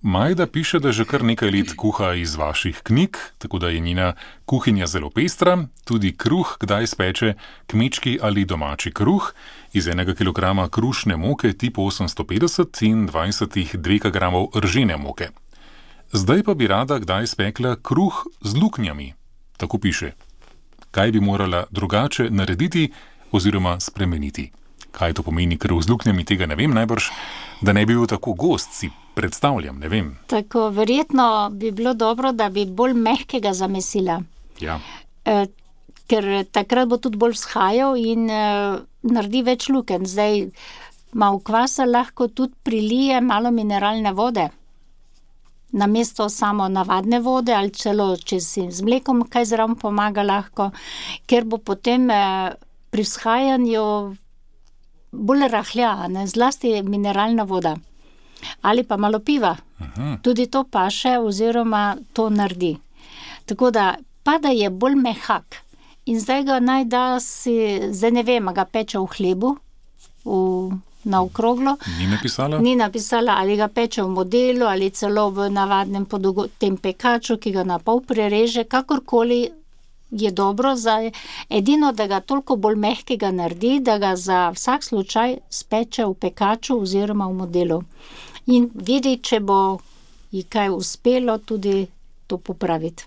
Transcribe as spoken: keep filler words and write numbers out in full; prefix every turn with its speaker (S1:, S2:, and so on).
S1: Majda piše, da že kar nekaj let kuha iz vaših knjig, tako da je njena kuhinja zelo pestra, tudi kruh kdaj speče kmečki ali domači kruh iz enega kilograma krušne moke tip osemsto petdeset in dvajsetih dekagramov ržene moke. Zdaj pa bi rada kdaj spekla kruh z luknjami, tako piše. Kaj bi morala drugače narediti oziroma spremeniti? Kaj to pomeni kruh z luknjami, tega ne vem, najbrž, da ne bi bil tako gost, si predstavljam, ne vem.
S2: Tako, verjetno bi bilo dobro, da bi bolj mehkega zamesila.
S1: Ja.
S2: E, ker takrat bo tudi bolj vzhajal in e, naredi več lukenj. Zdaj, malo kvasa lahko tudi prilije malo mineralne vode. Namesto samo navadne vode ali celo, če si z mlekom kaj zraven pomaga lahko, ker bo potem e, pri vzhajanju bolj rahlja, ne, zlasti mineralna voda. Ali pa malo piva. Aha. Tudi to paše oziroma to naredi. Tako da, pa da je bolj mehak. In zdaj ga naj da si, zdaj ne vem, ga peče v hlebu, v, na okroglo.
S1: Ni napisala?
S2: Ni napisala, ali ga peče v modelu, ali celo v navadnem podogo, tem pekaču, ki ga na pol prereže, kakorkoli je dobro, za edino, da ga toliko bolj mehkega naredi, da ga za vsak slučaj speče v pekaču oziroma v modelu. In vidi, če bo ji kaj uspelo tudi to popraviti.